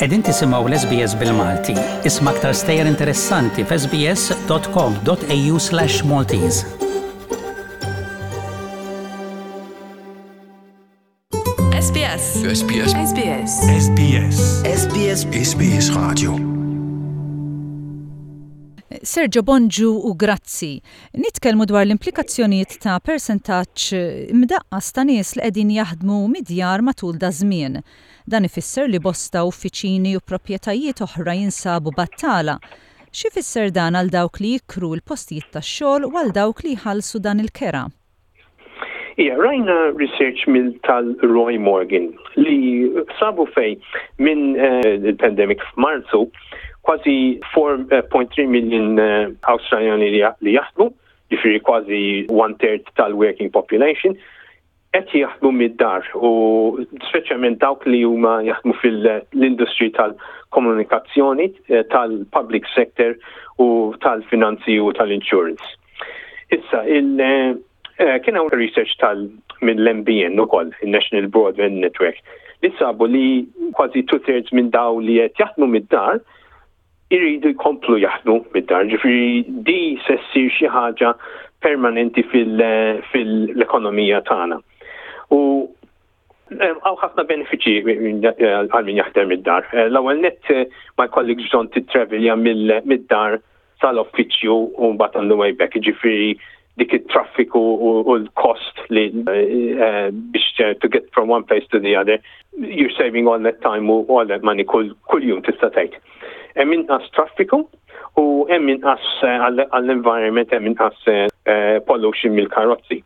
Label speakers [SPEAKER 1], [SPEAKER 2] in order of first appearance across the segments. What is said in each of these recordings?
[SPEAKER 1] Qegħdin tisimgħu l-SBS bil-Malti. Isma' aktar stejjer interessanti f'sbs.com.au/maltese.
[SPEAKER 2] SBS. SBS. SBS.
[SPEAKER 3] SBS. SBS. SBS Radio.
[SPEAKER 4] Sergio Bonġu u grazzi. Nitkellmu dwar l-implikazzjonijiet ta' persentaġġ imdaqqas ta' nies li qegħdin jaħdmu mid-djar matul daż-żmien. Dan ifisser li bosta uffiċini u proprjetajiet oħra jinsabu battala. X'ifisser dan għal dawk li jikru l-postijiet tax-xogħol u għal dawk li jħallsu dan il-kera?
[SPEAKER 5] Ija, rajna research mill tal-Roy Morgan li sabu fej minn eh, il-pandemic f'Marzu kważi 4.3 million eh, Awstraljani li jaħdmu, ġifieri kważi one third tal-working population, qed jaħdmu mid-dar u speċjalment dawk li huma jaħdmu fil-industry tal-komunikazzjoni, eh, tal-public sector u tal-finanzi u tal-insurance. Issa, il, eh, kien hawn research tal mill-MBN ukoll, il-National Broadband Network, li sabu li kważi two-thirds minn daw li qed jaħdmu mid-dar iridu jkomplu jaħdmu mid-dar. Ġifieri di se ssir xi ħaġa permanenti fil-ekonomija tagħna. U Hawn ħafna benefiċċji għal min jaħdem mid-dar. Eh, l-ewwel nett eh, ma jkollok bżonn tittravilja mid-dar sal-uffiċċju u mbagħad on the way back. Ġifieri dik it-traffiku u l-cost li eh, biex to get from one place to the other, you're saving all that time u all that money kull jum tista' tgħid. Hemm inqas traffiku u hemm inqas għall-environment hemm inqas pollution mill-karozzi.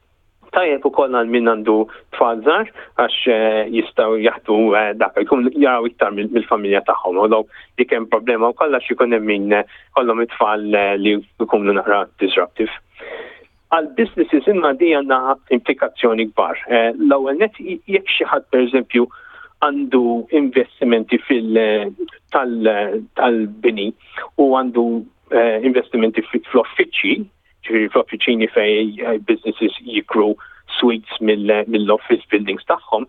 [SPEAKER 5] Tajjeb ukoll għal min għandu tfal żgħar għax eh, jistgħu jaħdu eh, dak jkun jaraw iktar mill-familja tagħhom. Although dik hemm problema wkoll għax ikun hemm min eh, kollhom it-tfal li jkunu naqra disruptive. Għal businesses imma di għandha implikazzjoni kbar. L-ewwel net jekk xi ħadd pereżempju għandu investimenti fil tal-bini u għandu investimenti fl-offiċċji, ġifieri fl-offiċini fej eh, businesses jikru suites mill-office buildings tagħhom,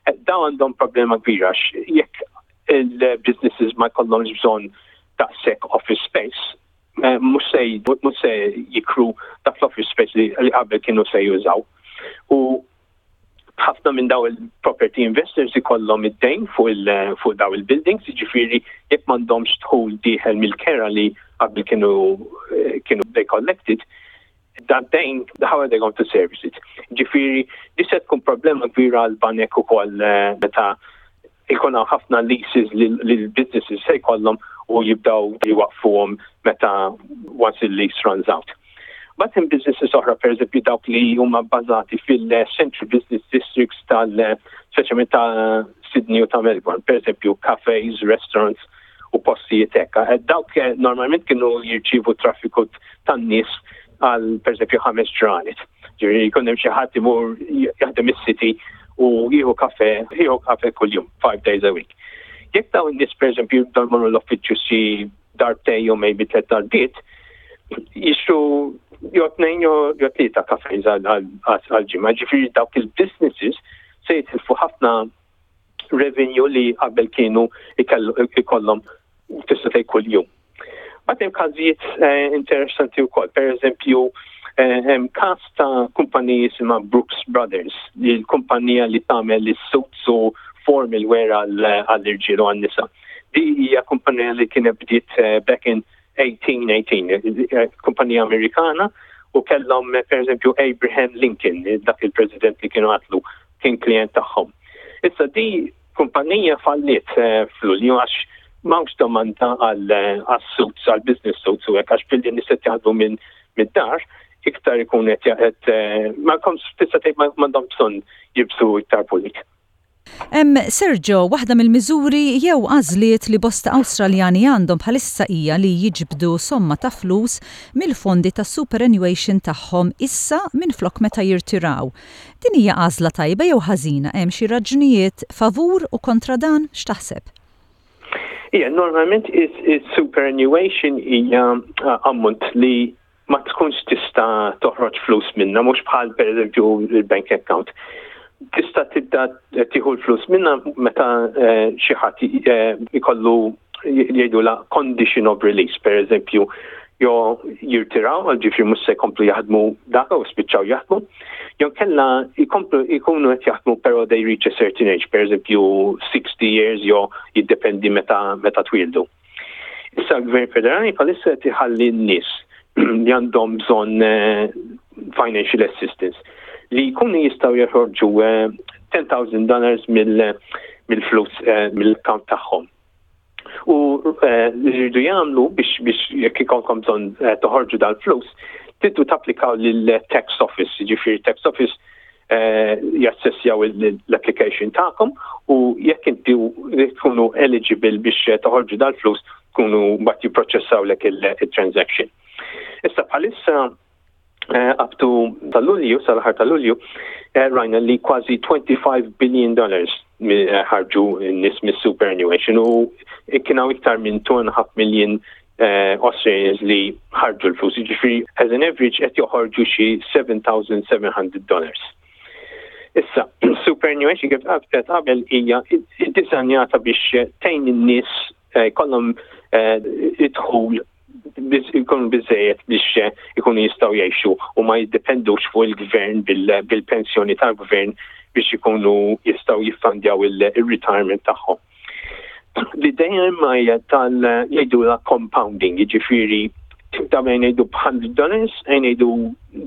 [SPEAKER 5] eh, daw għandhom problema kbira jekk il-businesses ma jkollhomx bżonn daqshekk office space, eh, mhux se mhux se jikru dak l-office space li qabel kienu se jużaw. U ħafna minn daw il-property investors ikollhom id-dejn fuq il fuq daw il-buildings, jiġifieri jekk m'għandhomx dħul dieħel mill-kera li qabel kienu eh, kienu they collected, that dejn, how are they going to service it? Ġifieri, di se tkun problema kbira għal banek ukoll eh, meta ikun hawn ħafna leases li l-businesses se jkollhom u jibdaw jwaqfuhom meta once il-lease runs out. Mbagħad hemm businesses oħra pereżempju dawk li huma bbażati fil-Central Business Districts tal speċjalment ta' Sydney u ta' Melbourne, pereżempju cafes, restaurants u postijiet hekk. Eh, dawk eh, normalment kienu jirċievu traffiku tan-nies għal pereżempju ħames ġranet. Ġifieri jkun hemm xi ħadd imur jaħdem is-city u jieħu kafe, jieħu kafe kuljum, five days a week. Jekk dawn in-nies pereżempju jibdew jmorru l-uffiċċju xi darbtejn jew maybe tliet darbiet, jixtru jew tnejn jew tlieta kafejn għal-ġimgħa. Ġifieri dawk il-businesses se jitilfu ħafna revenue li qabel kienu ikollhom tista' tgħid kuljum. Mbagħad hemm każijiet eh, interessanti wkoll. Per eżempju, eh, hemm każ ta' kumpaniji jisimha Brooks Brothers, li l-kumpanija li tagħmel is-suits u formal wear għall-irġiel u għan-nisa. Di hija kumpanija li kienet bdiet eh, back in 1818, eh, kumpanija Amerikana, u kellhom eh, per eżempju Abraham Lincoln, dak il-president li kienu għatlu kien klient tagħhom. Issa di kumpanija falliet f'Lulju għax m'hawnx domanda għal suits, għal business suits u hekk għax billi nies qed jaħdmu minn mid-dar, iktar ikun qed ma tista' tgħid m'għandhom bżonn jibsu iktar pulit.
[SPEAKER 4] Hemm, Sergio, waħda mill-miżuri jew għażliet li bosta Awstraljani għandhom bħalissa hija li jiġbdu somma ta' flus mill-fondi tas-superannuation tagħhom issa minflok meta jirtiraw. Din hija għażla tajba jew ħażina? Hemm xi raġunijiet favur u kontra dan? X'taħseb?
[SPEAKER 5] Ija, normalment is-superannuation hija ammont li ma tkunx tista' toħroġ flus minnha, mhux bħal pereżempju l-bank account. Tista' tibda tieħu l-flus minna meta eh, xi ħadd eh, ikollu jgħidula condition of release, per eżempju, jo jirtiraw, ġifri mhux se jkomplu jaħdmu dak u spiċċaw jaħdmu, jew kella jkomplu jkunu qed jaħdmu però they reach a certain age, per eżempju 60 years jew jiddependi meta meta twildu. Issa l-Gvern Federali bħalissa qed iħalli n-nies li għandhom bżonn eh, financial assistance li jkunu jistgħu joħorġu 10,000 eh, dollars mill-flus eh, mill-account tagħhom. U li jridu jagħmlu biex biex jekk ikolkom bżonn toħorġu dal-flus, tiddu tapplikaw lill-tax office, jiġifieri tax office Eh, jassessjaw l-application tagħkom u jekk inti tkunu eligible biex toħorġu dal-flus tkunu mbagħad jipproċessawlek il-transaction. Issa bħalissa eh, up to tal-Lulju, sal-aħħar tal-Lulju, eh, rajna li kważi 25 billion dollars ħarġu n-nies mis-superannuation u kien hawn iktar minn 2.5 million eh, Australians li ħarġu l-flus, jiġifieri as an average qed joħorġu xi 7,700 dollars. Issa, superannuation kif qed qabel hija ddisinjata biex tgħin in-nies eh, jkollhom eh, idħul ikunu biżejjed biex ikunu jistgħu jgħixu u ma jiddependux fuq il-gvern bil-pensjoni tal-gvern biex ikunu jistgħu jiffandjaw il-retirement tagħhom. L-idea imma hija tal jgħidulha compounding, jiġifieri tibda bejn ngħidu b'100 dollars, ejn ngħidu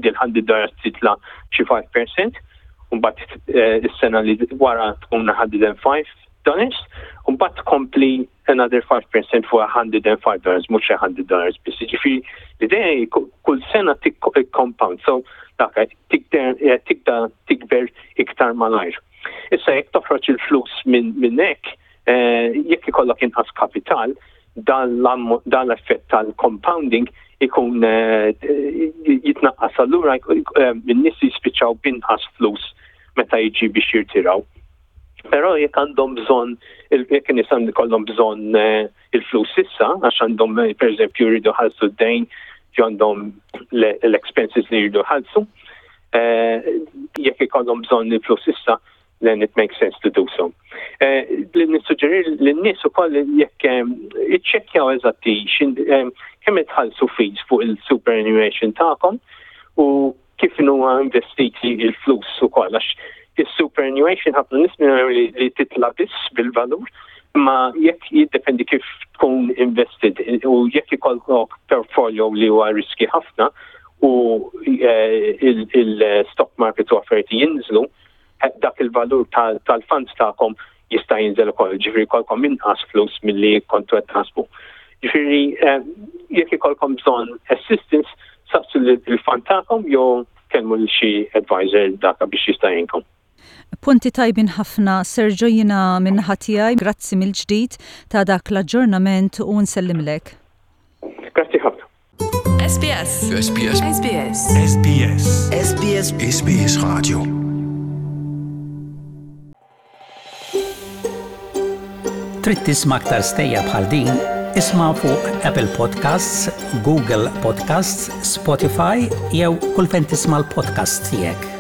[SPEAKER 5] dil 100 dollars titla' xi 5%, u mbagħad eh, is-sena li wara tkun 105 dollars, u mbagħad tkompli another 5% fuq 105 dollars, mhux 100 dollars biss. Jiġifieri l-idea kull sena tikkompound, so dak eh, tibda tikber iktar malajr. Issa jekk toħroġ il-flus minn hekk, eh, jekk ikollok inqas kapital, dan l-effett tal-compounding ikun eh, jitnaqqas allura eh, n-nies jispiċċaw b'inqas flus meta jiġi biex jirtiraw. Però jekk għandhom bżonn, jekk in-nies għandhom bżonn il-flus issa, għax għandhom pereżempju jridu ħalsu d-dejn, għandhom l-expenses li jridu ħalsu, eh, jekk ikollhom bżonn il-flus issa, then it makes sense to do so. Eh, li nissuġġeri lin-nies ukoll jekk eh, iċċekkjaw eżatti kemm itħallsu fees fuq il-superannuation tagħkom u kif huwa investiti il-flus ukoll għax is-superannuation ħafna nies li, li titla biss bil-valur ma jekk jiddependi kif tkun invested u jekk ikollok portfolio li huwa riski ħafna u eh, il-stock market u affarijiet jinżlu, eh, dak il-valur tal-funds tagħkom jista' jinżel ukoll, ġifieri jkollkom inqas flus milli kontu qed taħsbu. Ġifieri eh, jekk ikollkom bżonn assistance, saqsu il-fund tagħkom jew kellmu lil xi advisor daka biex jista' jgħinkom.
[SPEAKER 4] Punti tajbin ħafna Sergio jiena min-naħa tiegħi grazzi mill-ġdid ta' dak l-aġġornament u nsellimlek.
[SPEAKER 5] Grazzi ħafna.
[SPEAKER 2] SBS.
[SPEAKER 3] SBS.
[SPEAKER 2] SBS.
[SPEAKER 3] SBS. SBS. SBS Radio.
[SPEAKER 1] Trid tisma' aktar stejjer bħal din? Isma' fuq Apple Podcasts, Google Podcasts, Spotify jew kull fejn tisma' l-podcasts tiegħek.